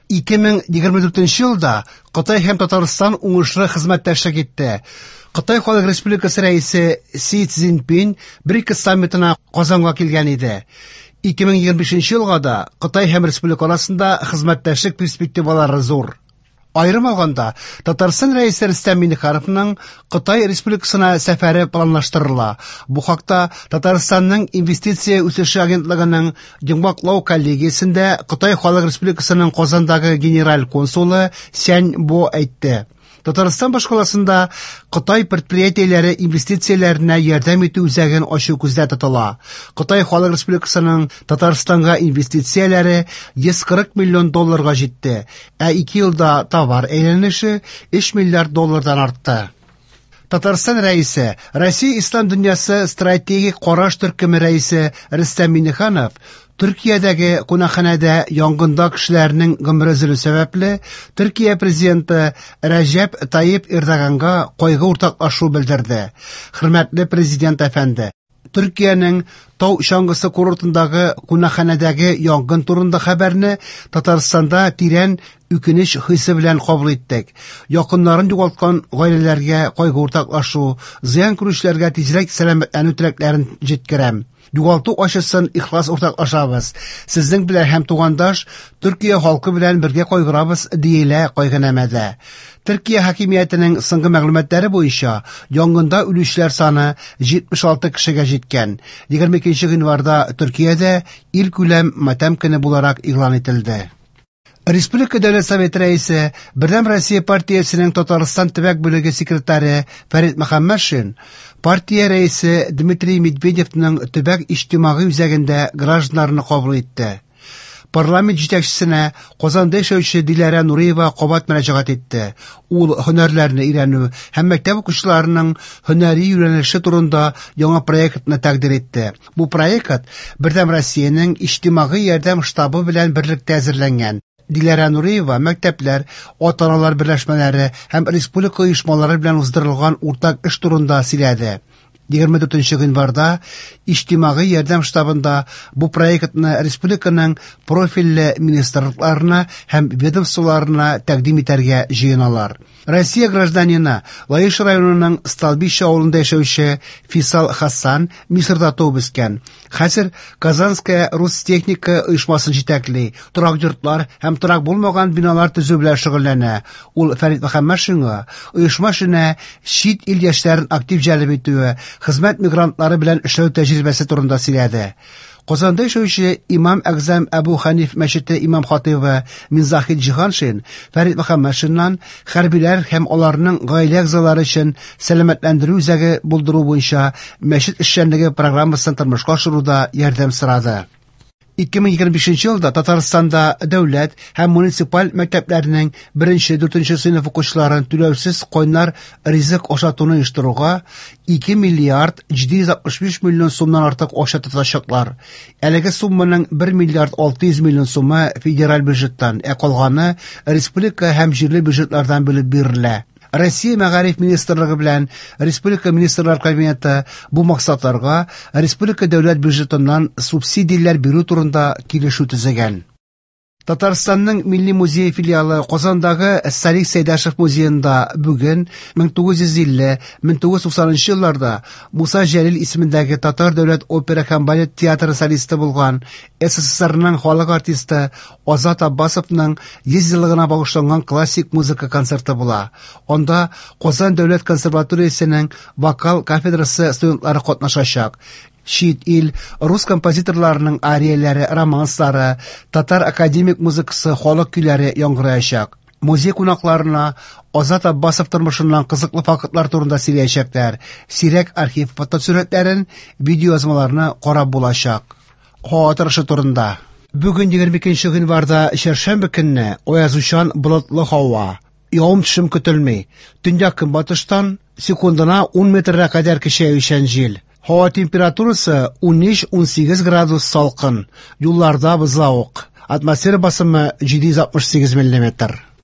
2024 елда Кытай һәм Татарстан уңышлы хезмәттәшлек итте. Кытай Халык Республикасы рәисе Си Цзиньпин БРИКС саммитына Казанга килгән иде. 2025 елга да Кытай һәм республика арасында хезмәттәшлек перспективалары зур. Аерым алганда, Татарстан Рәисе Рөстәм Миңнехановның Кытай Республикасына сәфәре планлаштырыла. Бу хакта Татарстанның Инвестиция үсеше агентлыгының йомгаклау коллегиясендә Кытай Халык Республикасының Казандагы генераль консулы Сянь Бо әйтте. Татарстан башкаласында Кытай предприятиеләре инвестицияләренә ярдәм итү үзәген ачу күздә тотыла. Кытай Халык Республикасының Татарстанга инвестицияләре 140 миллион долларга җитте, ә ике елда товар әйләнеше 3 миллиард доллардан артты. Татарстан Рәисе, Россия Ислам дөньясы стратегик караш төркеме рәисе Рөстәм Миңнеханов Төркиядәге кунакханәдә янгында кешеләрнең гомере өзелү сәбәпле, Төркия президенты Рәҗәп Тайип Эрдоганга кайгы уртаклашу белдерде. Хөрмәтле президент әфәнде, Төркиянең тау чаңгысы курортындагы кунакханәдәге янгын турында хәбәрне Татарстанда тирән үкенеч хисе белән кабул иттек. Якыннарын югалткан гаиләләргә кайгы уртаклашу, зыян күрүчеләргә тизрәк сәламәтләнү теләкләрен җиткерәм. Югалту ачысын ихлас уртаклашабыз. Сезнең белән һәм тугандаш Төркия халкы белән бергә кайгырабыз, диелә кайгынамәдә. Төркия хакимиятенең соңгы мәгълүматлары буенча, янгында үлүчеләр саны 76 кешегә җиткән. 22 гыйнварда Төркиядә илкүләм матәм көне буларак игълан ителде. Республика Дәүләт Советы рәисе, Бердәм Россия партиясенең Татарстан төбәк бүлеге секретаре Фәрит Мөхәммәтшин партия рәисе Дмитрий Медведевның төбәк иҗтимагый үзәгендә гражданнарны кабул итте. Парламент җитәкчесенә Казанда яшәүче Диләрә Нуриева кабат мөрәҗәгать итте. Ул һөнәрләрне өйрәнү һәм мәктәп укучыларының һөнәри юнәлеше турында яңа проектны тәкъдир итте. Бу проект Бердәм Россиянең иҗтимагый ярдәм штабы белән берлектә әзерләнгән. Диләрә Нуриева мәктәпләр, ата-аналар берләшмәләре һәм республика оешмалары белән уздырылган уртак эш турында сөйләде. 24 гыйнварда иҗтимагый ярдәм штабында бу проектны республиканың профильле министрлыкларына һәм ведомстволарына тәкъдим итәргә җыеналар. Россия гражданины, Лаеш районының Столбище авылында яшәүче Фисал Хасан Мисырда туып үскән. Хәзер Казанская Рустехника оешмасын җитәкли, торак йортлар һәм торак булмаган биналар төзү белән шөгыльләнә. Ул Фәрит Мөхәммәтшинга оешма эшенә чит ил яшьләрен актив җәлеп итүе, хезмәт мигрантлары белән эшләү тәҗрибәсе турында сөйләде. Казанда яшәүче Имам Әгъзам Әбу Хәниф мәчете имам-хатыйбы Минзахит Җиһаншин Фәрит Мөхәммәтшиннан хәрбиләр һәм аларның гаилә әгъзалары өчен сәламәтләндерү үзәге булдыру буенча мәчет эшчәнлеге программасын тормышка ашыруда ярдәм сорады. 2025 елда Татарстанда дәүләт һәм муниципаль мәктәпләрнең беренче-дүртенче сыйныф укучыларын түләүсез кайнар ризык ашатуны оештыруга 2 миллиард 765 миллион сумнан артык акча тотачаклар. Әлеге сумманың 1 миллиард 600 миллион сумы федераль бюджеттан, ә калганы республика һәм җирле бюджетлардан бүлеп бирелә. Россия Мәгариф министрлыгы белән Республика Министрлар Кабинеты бу максатларга республика дәүләт бюджетыннан субсидияләр бирү турында килешү төзегән. Татарстанның Милли музее филиалы Казандагы Салих Сәйдәшев музеенда бүген 1950-1990 елларда Муса Җәлил исемендәге Татар дәүләт опера һәм балет театры солисты булган СССРның халык артисты Азат Аббасовның 100 еллыгына багышланган классик музыка концерты була. Анда Казан дәүләт консерваториясенең вокал кафедрасы студентлары катнашачак. Чит ил рус композиторларының арияләре, романслары, татар академик музыкасы, халык көйләре яңгыраячак. Музей кунакларына Азат Аббасов тормышыннан кызыклы фактлар турында сөйләячәкләр. Сирәк архив фотосурәтләрен, видеоязмаларны карап булачак. Һава торышы турында. Бүген 22 гыйнварда чәршәмбе көнне аязучан болытлы һава. Явым-төшем көтелми. Төньяк-көнбатыштан секундына 10 метрга кадәр көчәючән җил. Һава температурасы 13-18 градус салкын. Юлларда бозлавык. Атмосфера басымы 768 миллиметр.